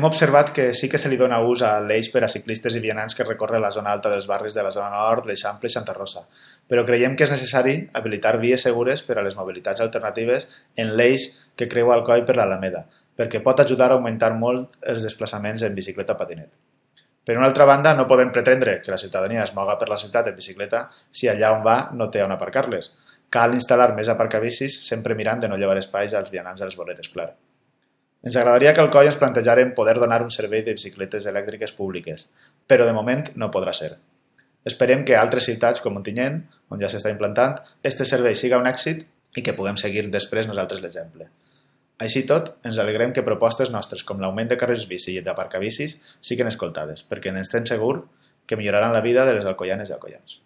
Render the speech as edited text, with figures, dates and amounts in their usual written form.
Hem observat que sí que se li dona ús a l'eix per a ciclistes i vianants que recorre la zona alta dels barris de la zona nord, l'Eixample i Santa Rosa, però creiem que és necessari habilitar vies segures per a les mobilitats alternatives en l'eix que creua Alcoi per l'Alameda, perquè pot ajudar a augmentar molt els desplaçaments en bicicleta o patinet. Per una altra banda, no podem pretendre que la ciutadania es moga per la ciutat en bicicleta si allà on va no té on aparcar-les. Cal instal·lar més aparcabicis sempre mirant de no llevar espais als vianants de les voreres, clar. Ens agradaria que al Alcoi ens plantejarem poder donar un servei de bicicletes elèctriques públiques, però de moment no podrà ser. Esperem que a altres ciutats com Ontinyent, on ja s'està implantant, este servei siga un èxit i que puguem seguir després nosaltres l'exemple. Així tot, ens alegrem que propostes nostres com l'augment de carrils bici i d'aparcabicis siguin escoltades, perquè n'estem segurs que milloraran la vida de les alcoianes i alcoians.